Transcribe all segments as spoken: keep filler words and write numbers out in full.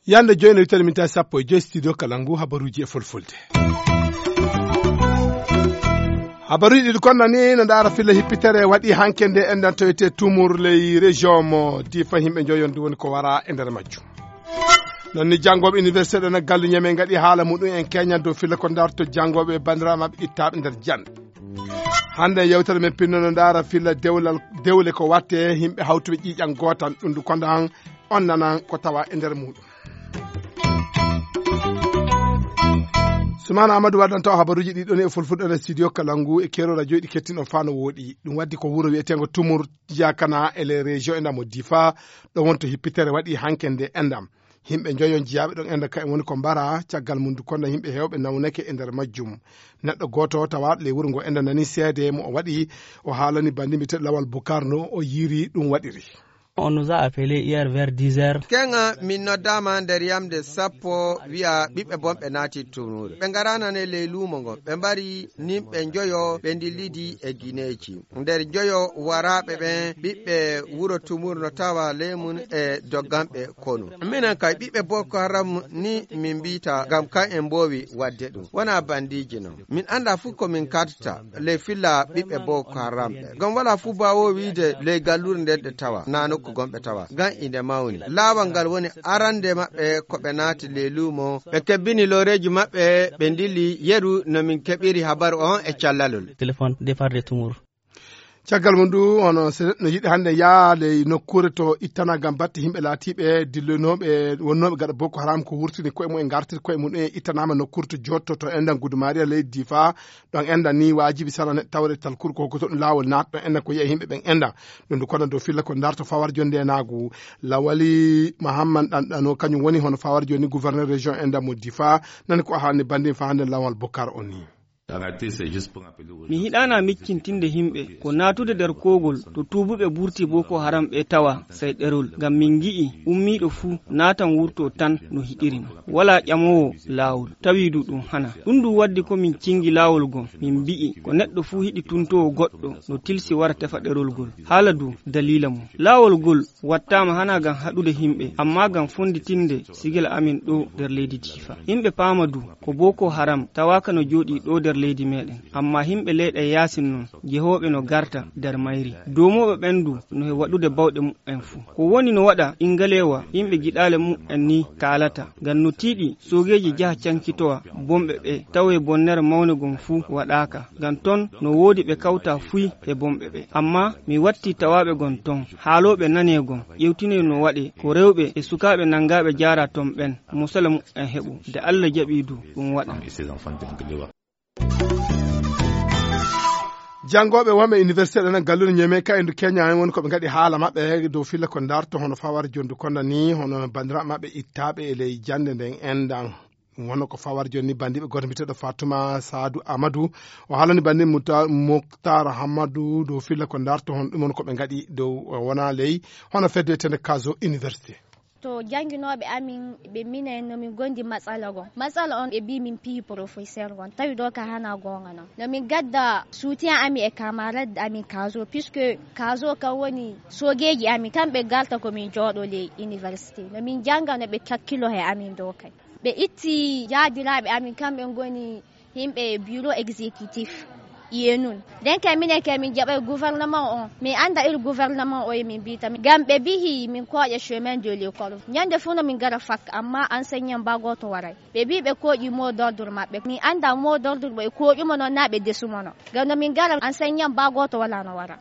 Yande joyi no witani min tawi sappo e joyi studio kala ngu habaruji e fulfulde. Habaruji ɗiɗi konna ni no ndaara filla hippitere waɗi hanke nde enɗan toyete tumur ley région mo difa himɓe joyon du woni ko wara e nder majjum. Non ni janngoɓe université ɗen e galle ñame gaɗi haala muɗum en keñan dow filla ko darto janngoɓe bandiraɓe maɓɓe ittaɓe nder jande. Hande yewtere men pinnono ndaara filla dewlal dewle ko watte himɓe hawtuɓe ƴiiƴan gootan ɗum du konda han on nanan ko tawa e nder muɗum. Sumana Amadou waddan taw habaruji ɗi ɗon e fulfulde e studio kalangu e kero radio ɗi kettin on fano woɗi ɗum waddi ko wuro wi'etengo tumur jakana e les régions e ndamo difa ɗo wonto hippitere waɗi hanke nde endam. Himɓe joyon jiyaaɓe ɗon enda kayen woni ko mbara caggal mum du konda himɓe hewɓe nawnake e nder majjum. Neɗɗo gooto tawa ley wuro ngo enda nani seede mo o waɗi o haalani bandi mbite lawal bukarno o yiri ɗum waɗiri. On nous a appelé hier vers dix heures. Keŋa min noddaama nder yamde sappo wi'a ɓiɓɓe bonɓe naati tumuure ɓe ngaranane ley luumo ngon ɓe mbari nimɓe njoyo ɓe ndillidi e gineeji. Nder joyo waraaɓe ɓen ɓiɓɓe wuro tumur no tawa ley mun e dogganɓe konu. Minen kay ɓiɓɓe boko haram ni min mbiyta ngam kan en mboowi waɗde ɗum wona bandiiji non. Min annda fuu ko min kattata ley filla ɓiɓɓe boko haram ɓe ngam wala fuu baawo wiide ley gallure nden ɗe tawa na nokku gonɓe tawa ngam inde mawni laawal ngal woni arande maɓɓe ko ɓe naati ley luumo ɓe kebbini looreeji maɓɓe ɓe ndilli. Yeru no min keɓiri habaru on e callalol. Téléphone départ de tumur. Caggal mum du hono so neɗɗo no yiɗi hannde yaade e nokkuure to ittana ngam batte yimɓe laatiiɓe dilloynooɓe wonnooɓe gaɗa boko haram ko wurtini koye mum e ngartiri koye mum e ittanama nokkuure to jotto to endan gudumaari e leydi difa. Ɗon endan ni waajibi sara neɗɗo tawre talkuru ko hokkoto ɗum laawol naat ɗon endan ko yiya yimɓe ɓen endan. Ɗum du kono dow filla ko darto fawar jonde naagu lawali mahamman ɗanɗano kañum woni hono fawar joni gouverneur région endan mo difa. Nani ko haalni bandin fa hannde lawal bokar on ni. Mi hiɗaana miccintinde yimɓe ko naatude nder koogol to tuubuɓe burti boko haram ɓe tawa sey ɗerol ngam min ngi'i ummiiɗo fuu naatan wurto tan no hiɗirino walaa ƴamoowo laawol tawi du ɗum hana. Ɗum du waddi ko min cingi laawol gom min mbi'i ko neɗɗo fuu hiɗi tuntoowo goɗɗo no tilsi wara tefa ɗerol gol haala du daliila mum. Laawol gol wattaama hana ngam haɗude yimɓe amma ngam fonnditinde sigila amin ɗo nder leydi difa. Yimɓe paama du ko boko haram tawaaka no jooɗii ɗo nder leydi meɗen amma yimɓe leyɗe yaasin non jehooɓe no garta nder mayri. Doomooɓe ɓen du no he waɗude bawɗe muɓɓen fuu ko woni no waɗa ingaleewa yimɓe giɗaale muɓɓen ni kaalata ngam no tiiɗi soogeeji njaha cankitowa bonɓe ɓe tawe bonnere mawne gom fuu waɗaaka ngam ton no woodi ɓe kawta fuy he bonɓe ɓe. Amma mi watti tawaaɓe gon ton haalooɓe nanee gon ƴewtinee no waɗee ko rewɓe e sukaaɓe nanngaaɓe jaara ton ɓen mosala muɓɓen heɓo de allah jaɓii du ɗum waɗa. Janngooɓe wonɓe université ɗen e gallude ñeme ka endu keña en woni ko ɓe ngaɗi haala maɓɓe dow filla ko darto hono fawar jondu konda ni hono bandiraɓe maɓɓe ittaɓe e ley jannde nden endan. Ɗum wonno ko fawar joni ni bandiɓe goto mbiteɗo fatuma sadu amadou o haalani bandi muktar hamadou dow filla ko darto hon ɗum woni ko ɓe ngaɗi dow wona ley hono fedde wiyetende kaso université. To jannginooɓe amin ɓe minen no min gondi matsala gon matsala on ɓe mbi min piyi professeur gon tawi ɗo ka hana gonga non no min gadda soutien amin e camarade amin kaso puisque kaso kan woni sogeji amin kamɓe garta ko min jooɗo ley université no min jannga no ɓe kakkilo he amin ɗo kay. Ɓe itti jaadiraaɓe amin kamɓe ngoni yimɓe bureau exécutif. Iye nun nden kay minen kay min jaɓay gouvernement on min annda ir gouvernement o e min mbita ngam ɓe bihi min kooƴa chemin de l'école ñande fof no min ngara fakka amma enseignant mba gooto waray. Ɓe mbi ɓe kooƴi mot d'ordre maɓɓe min annda mot d'ordre ɓo e kooƴumo noon na ɓe desumo noon ngam no min ngara enseignant mba gooto wala no wara.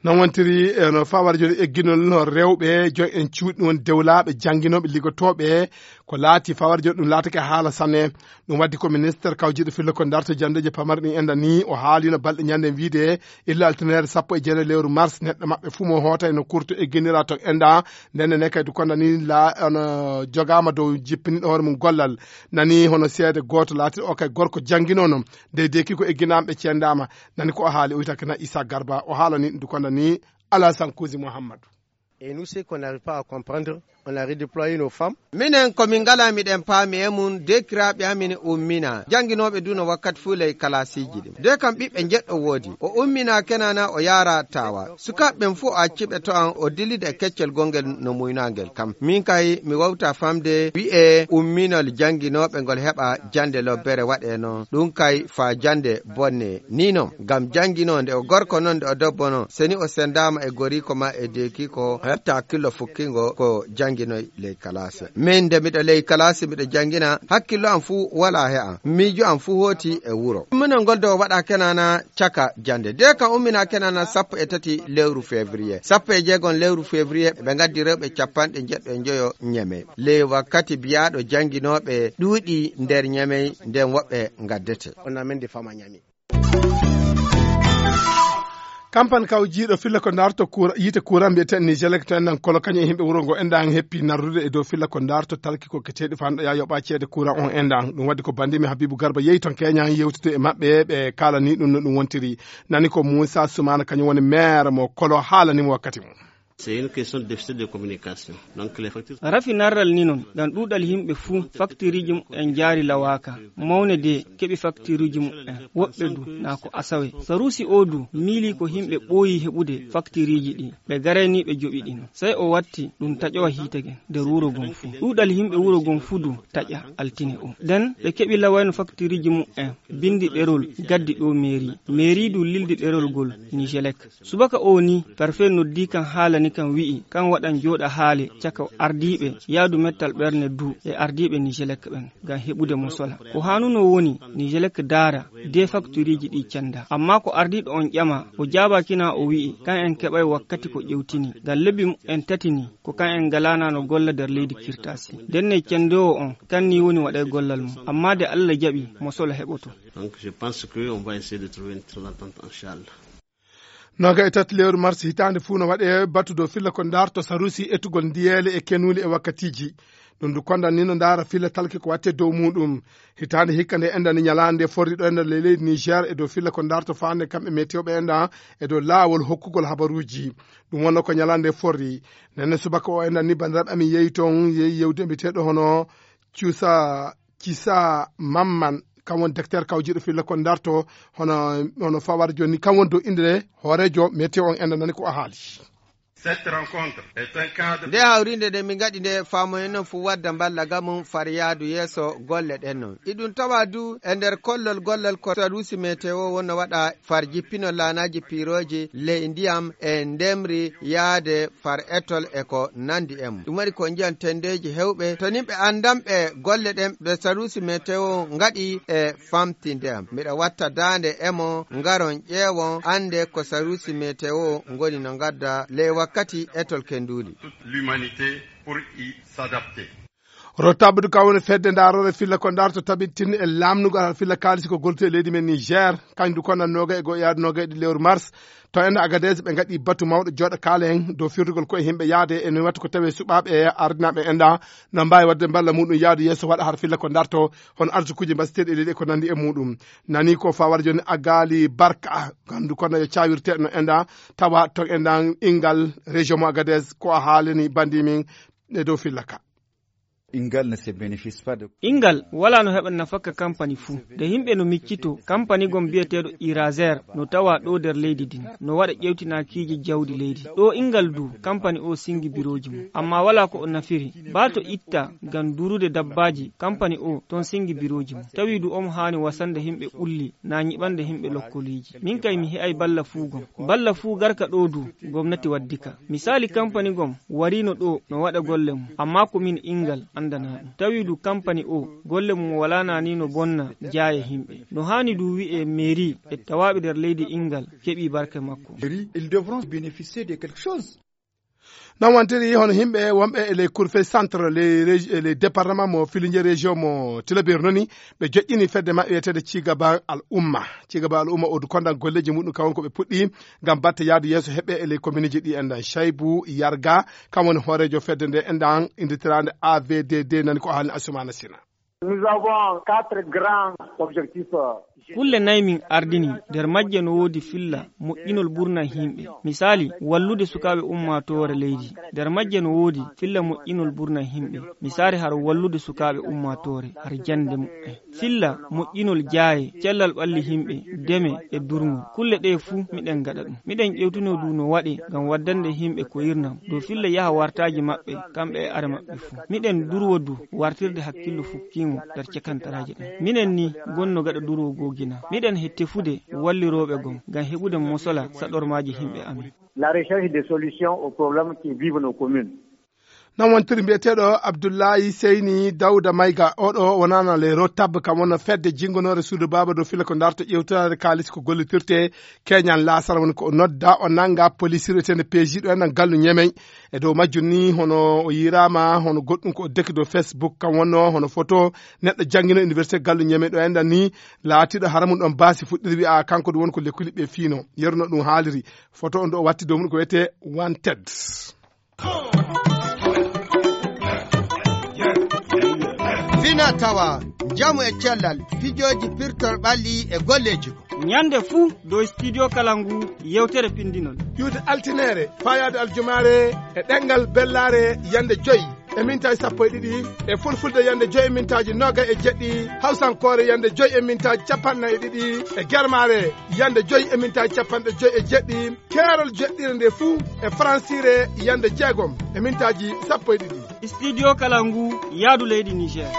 Non wontiri e no fawar joni egginol no rewɓe joy en cuuɗi won dewlaaɓe jannginooɓe liggotooɓe ko laati fawar joni ɗum laatake haala sanne. Ɗum waddi ko ministre kawjiɗo fillo ko darto janndeeji pamari ɗin enda ni o haalino balɗe ñande wiide illa altinere sappo e jeene lewru mars neɗɗo maɓɓe fuu mo hoota eno kurto egginira to enda. Ndenne ne kadi konda ni la ono jogaama dow jippiniɗo hoore mum gollal. Nani hono seede gooto laatiɗo o kay gorko jannginono nde deki ko egginaaɓe ɓe ceendaama. Nani ko o haali o wiyata kana isa garba o haalani ndu konda ni. Alasan kusi mouhammadou. Et nous ce qu'on n'arrive pas à comprendre On a redéployé nos femmes. Minen ko min ngala miɗen paami e mum, dekiraaɓe amin ummina jannginooɓe duu no wakkati fuu ley kalaasiiji ɗin. De kam ɓiɓɓe njeɗɗo woodi. O ummina Kenana o yaara Taawa. Sukaaɓe ɓen fuu o acci ɓe to an o dillida e keccel gongel no muynangel kam. Min kay mi wawta famde wi'e umminol jannginooɓe ngol heɓa jannde lobbere waɗe non. Ɗum kay faa jannde bonne. Ni non, ngam jannginoo nde o gorko non nde o debbo non. Seni o sendaama e goriiko ma e deekiiko hetta killo fukkingo ko jannginoy ley kalaase. Min nde miɗo ley kalaasi miɗo janngina, hakkillo am fuu walaa he am. Miijo am fuu hooti e wuro. Umminol ngol de o waɗa Kenana caka jannde. De kam ummina Kenana sappo e tati lewru février. Sappo e jeegom lewru février ɓe ngaddi rewɓe cappanɗe njeɗɗo e njoyo Ñeme. Ley wakkati biyaaɗo jannginooɓe ɗuuɗi nder Ñeme nden woɓɓe ngaddete. On amène des femmes à Niamey. Kampani kawjiiɗo filla ko darto kuura, yiite kuura mbiyeteeɗo Nigelec to enɗan kolo kañum e yimɓe wuro ngo enɗan heppi narrude e dow filla ko darto talki ko keteeɗi fanɗo ya yoɓa ceede kuura on enɗan. Ɗum waɗi ko bandimi Habibu Garba yehi ton Keña yewtito e maɓɓe ɓe kaalani ɗum no ɗum wontiri. Nani ko Moussa Soumana kañum woni maire mo kolo haalani mo wakkati mum. C'est une question de déficit de communication. Donc les factures. Rafi narral ni non ngam ɗuuɗal yimɓe fuu faktiriiji mumen jaari lawaaka. Mawne de keɓi faktiriiji mumen woɓɓe du naa ko asawe. Sarusi o du miili ko yimɓe ɓooyi heɓude faktiriiji ɗi ɓe garani ɓe joɓi ɗi non. Sey o watti ɗum taƴowa hiite gen nder wuro gon fuu. Ɗuuɗal yimɓe wuro gon fuu du taƴa altine o. Nden ɓe keɓi lawayno faktiriiji mumen bindi ɗerol gaddi ɗo meeri. Meeri du lildi ɗerol gol Nigelec. Subaka o ni parfait noddi kan haalani kan wi'i kan waɗan jooɗa haale caka ardiiɓe yaadu mettal ɓerne du e ardiiɓe Nigelec ɓen ngam heɓude mo sola. Ko haanuno woni Nigelec daara de fakturiiji ɗi cenda. Amma ko ardiiɗo on ƴama o jaabakina o wi'i kan en keɓay wakkati ko ƴewtini ngam lebbi mumen tati ni ko kan en ngalana no golla nder leydi kirtasi. Ndenne cendoowo on kan ni woni waɗay gollal mum. Amma de Allah jaɓi mo sola heɓoto. Donc je pense que on va essayer de trouver une entente, inchallah. Noga e tati lewru mars hitaande fuu no waɗe batu dow filla ko daarto sarusi etugol ndiyeele e kenuuli e wakkatiiji. Ɗum du kondan ni no ndaara filla talki ko watte dow muɗum. Hitaande hikka nde enɗan ni ñalaande forri ɗo enɗan ley leydi Niger e dow filla ko daarto faande kamɓe meteo ɓe enɗan e dow laawol hokkugol habaruuji. Ɗum wonno ko ñalaande forri. Nenne subaka o enɗan ni banndiraaɓe amin yehi toon yehi yewde mbiyeteeɗo hono cuusa Cisa Mamman, kam woni docteur kawjiiɗo filla ko darto hono, hono fawar jooni, kam woni dow innde hooreejo météo on, enda nani ko a haali. Cette rencontre est un cadre. Nde hawrinde nde min ngaɗi nde faamoyen noon fuu wadda mballa ga mum far yaadu yeeso golle ɗen noon. Iɗum tawa du e nder kollol gollal ko sarusi météo wonno waɗa far jippinol laanaaji piirooji ley ndiyam e ndemri yaade far etol e ko nandi e mum. Ɗum waɗi ko njiyan tendeeji hewɓe to nimɓe anndanɓe golle ɗen ɓe sarusi météo ngaɗi e famtinde am. Miɗa watta daande e mo ngaron ƴeewon annde ko sarusi météo ngoni no ngadda ley wakkati etol kenduuli. Toute l'humanité pour y s'adapter. Rotabdu ka woni fedde ndaarore filla ko ndaarto tabittin e laamnugol filla kaalisi ko gollude e leydi men Niger. Kañum du konnan noga e go yaade noga e ɗiɗi lewru mars. To en Agadez ɓe ngaɗi batu mawɗo jooɗa kaala en dow firtugol koye yimɓe yaade e no wattu ko tawi suɓaaɓe ardinaaɓe enɗa no mbaawi waɗde mballa muɗum yaadu yeeso waɗa har filla ko darto hono arsukuuji mbasiteeɗi e leydi e ko nandi e muɗum. Nani ko fawar jooni Agali Barka gandu kono yo cawirteeɗo no enɗa tawa ton enɗan inngal région mo Agadez ko a haalani bandi min e dow filla ka. Ingal ne se bénéficie pas de. Ingal wala no heɓa nafaka kampani fuu. De yimɓe no miccito kampani gon biyeteeɗo Irazer no tawa ɗo nder leydi din. No waɗa ƴewtinakiiji jawdi leydi. Ɗo ingal du kampani o singi birooji mum. Amma wala ko o nafiri. Baa to itta ngam durude dabbaaji kampani o ton singi birooji mum. Tawi du omo haani wasande yimɓe ɓulli na ñiɓande yimɓe lokkoliiji. Min kay mi he'ay balla fuu gon. Balla fuu garka ɗo du gomnati waddi ka. Misaali kampani gon wariino ɗo no waɗa golle mum, amma ko min ingal anndanaa ɗum. Tawi du kampani o golle mum walaa naa ni no bonna jaaye yimɓe. No haani du wi'e meeri e tawaaɓe nder leydi ingal keɓii barke makko. Ils devront bénéficier de quelque chose. Non wantiri hono yimɓe wonɓe e les cour fe centre les, rég- les département mo filinje région mo tilabir noni ɓe joƴƴini fedde maɓɓe wiyeteede cigaba al umma. Cigaba al umma o du kondan golleji muɗum kawon ko ɓe puɗɗi ngam batte yaadu yeeso heɓɓe e ley kommineji ɗi enɗan Chaybu Yarga kam woni hooreejo fedde nde enɗan indirtiraande A V D D nani ko haalni Asumana Sina. Nous avons quatre grands objectifs. Kulle nay min ardini, nder majje no woodi filla moƴƴinol ɓurna yimɓe. Misaali, wallude sukaaɓe ummaatoore leydi. Nder majje no woodi filla moƴƴinol ɓurna yimɓe. Misaali, haro wallude sukaaɓe ummaatoore, har jannde muɓɓen. Filla moƴƴinol jaaye, cellal ɓalli yimɓe, deme e durngol. Kulle ɗee fuu miɗen ngaɗa ɗum. Miɗen ƴewtino du no waɗe ngam waddande yimɓe ko irnam, dow filla yaha wartaaji maɓɓe, kamɓe e are maɓɓe fuu. Miɗen durwo du wartirde hakkillo fukkiingo nder cekantaraaji ɗen. Minen ni gonno gaɗa durwo goo gina. Miɗen he tefude wallirooɓe gom ngam heɓude mosola saɗormaaji yimɓe amin. La recherche des solutions aux problèmes qui vivent nos communes. Noon wontiri mbiyeteeɗo Abdullahi Seyni Dawda Mayga, oɗo wonana le rotab, kam wonno fedde jingonoore suudu baaba dow filla ko darta ƴewtaade kaalis ko gollitirte keñan laasara, woni ko o nodda, o nannga police wiyeteendi P J ɗo e nan gallu Ñemey. E dow majjum ni, hono o yiiraama, hono goɗɗum ko o deki dow Facebook, kam wonno hono photo neɗɗo janngino université gallu Ñemey ɗo enɗan ni, laatiiɗo hara mum ɗon baasi fuɗɗiri wi'a kanko ɗum woni ko lekkuli ɓe fiino. Yeru no ɗum haaliri, photo on ɗo o watti dow mum ko wiyetee Wanted. Fina tawa, njamu e cellal, pijooji pirtol ɓalli e golleeji ko. Ñande fuu dow Studio Kalangu yewtere pindinol. Ƴuwde altineere, faayaade aljumaare e ɗemngal bellaare yande joy e mintaaji sappo e ɗiɗi, e fulfulde yande joy e mintaaji noogay e jeɗɗi, hawsankoore yande joy e mintaaji capanɗe nayi e ɗiɗi, e germaare yande joy e mintaaji capanɗe joy e jeɗɗi, keerol jeɗɗire nde fuu e faransiire yande jeegom e mintaaji sappo e ɗiɗi. Studio Kalangu, yaadu leydi Niger.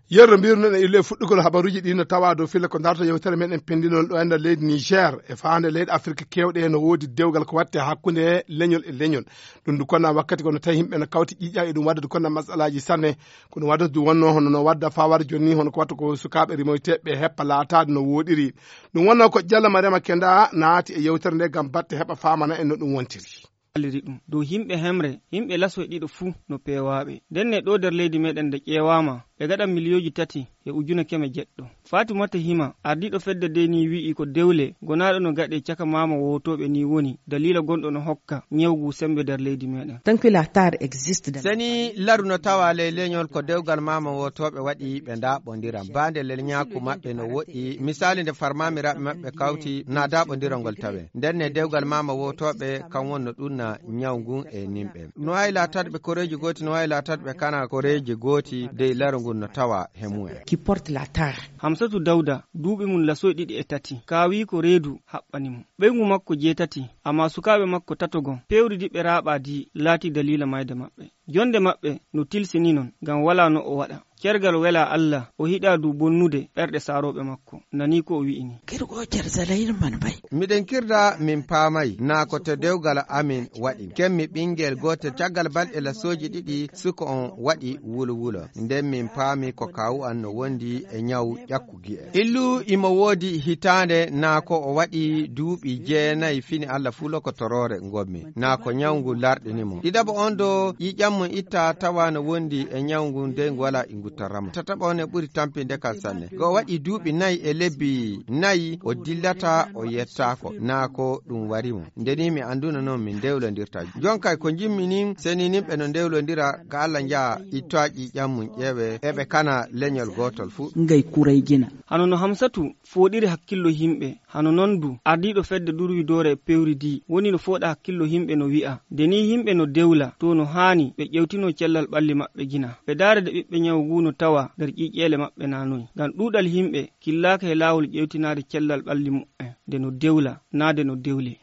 Yerno, mbirno e ille fuɗɗugol habaruuji ɗi no tawa dow filla ko darta yewtere meɗen pendinol ɗo e nder leydi Niger. E faande leyɗe Afirka kewɗe no woodi dewgal ko watte hakkunde leñol e leñol. Ɗum ndu konna wakkati kono tawi yimɓe no kawti ƴiƴa e ɗum waɗde konna masalaaji sanne. Ko ɗum waɗata ɗum wonno hono no wadda fawar jonni, hono ko watta ko sukaaɓe rimoyteɓe heppa laataade no woɗiri. Ɗum wonno ko Jalla Mariama Kenda naati e yewtere nde ngam batte heɓa faamana en no ɗum wontiri. Walliri ɗum dow yimɓe hemre, yimɓe lasoy ɗiɗo fuu no peewaaɓe. Ndenne ɗo nder leydi meɗen nde ƴeewaama, ɓe gaɗa miliyooji tati e ujune keme jeɗɗo. Fatimata Hima, ardiiɗo fedde nde ni wi'i ko dewle gonaaɗo no gaɗe caka maama wootooɓe ni woni daliila gonɗo no hokka ñawgu sembe nder leydi meɗen. Tant que la terre existe dans Seni laru no tawa ley leñol ko dewgal maama wootooɓe waɗi ɓe ndaaɓondira. Baande leñaaku maɓɓe no woɗɗi. Misaali nde farmaamiraaɓe maɓɓe kawti na daaɓondirangol tawe. Ndenne dewgal maama wootooɓe kam wonno ɗum na ñaw ngun e nimɓe. No waawi laataade ɓe koreeji gooti, no waawi laataade ɓe kana koreeji gooti, dey laru ngun no tawa he mumen. Qui porte la terre. Hamsatu Dawda, duuɓi mum lasoy ɗiɗi e tati, kaawi ko reedu haɓɓani mo. Ɓeyngu makko jeetati, amma sukaaɓe makko tato gon, pewri di ɓe raaɓaa di laati daliila mayde maɓɓe. Jonde maɓɓe no tilsini non, ngam walaa no o waɗa. Cergal welaa Allah, o hiɗaa du bonnude ɓerɗe saarooɓe makko. Nani ko o wi'i ni. Kirgo cersa la yirman bay. Miɗen kirda min paamay, naa ko to dewgal amin waɗi. Kemmi ɓingel gootel caggal balɗe lasooji ɗiɗi, suko on waɗi wulo wulo. Nden min paami ko kaawu an no wondi e ñaw ƴakku gi'e. Illu imo woodi hitaande, naa ko o waɗi duuɓi jeenayi fini Allah fuu lokotoroore ngonmi, naa ko ñaw ngu larɗini mo. Ɗiɗaɓo on do ƴiƴam mum itta tawa no wondi e ñaw ngun, dey ngu wala e ngu torramo. Tataɓo on e ɓuri tampinde kan sanne. Ko o waɗi duuɓi nayi e lebbi nayi, o dillata, o yettaako, naa ko ɗum wari mo. Nde ni mi anduno non min dewlondirta. Jon kay ko jimmi nin, seni nin ɓe no dewlondira, ka Allah njaha ittoa ƴiƴam mum ƴeewe, eɓe kana leñol gootol fuu. Ngay kuray gina. Hano no Hamsatu fooɗiri hakkillo yimɓe, hano non du ardiiɗo fedde durwidoore e pewri di woni no fooɗa hakkillo yimɓe no wi'a, nde ni yimɓe no dewla, to no haani ɓe ƴewtino cellal ɓalli maɓɓe gina. Ɓe daara de ɓiɓɓe ñawu ngu no tawa nder ƴiƴƴeele maɓɓe na noy. Ngam ɗuuɗal yimɓe killaaka he laawol ƴewtinaade cellal ɓalli muɓɓen, nde no dewla, naa nde no dewle.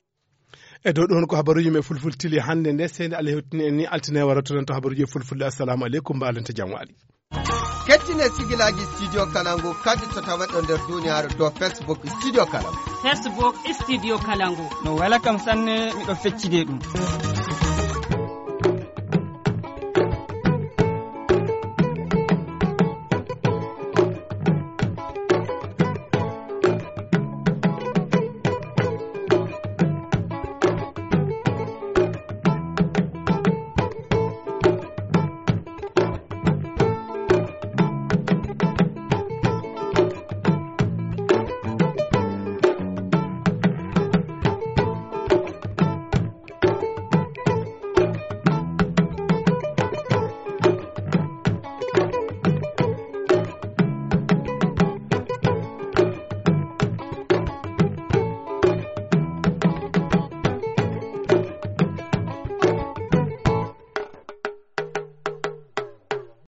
E dow ɗon ko habaruuji men fulfulde tili hannde nde, seydi Allah hewtini en ni altine wara to ɗon to habaruuji e fulfulde. Assalamu aleykum, mbaalante jam waali. Kettine sigilaaji Studio Kalangu kadi to tawaɗon nder duniyaaru to Facebook Studio Kalangu. Facebook Studio Kalangu. No wela kam sanne, miɗo feccide ɗum.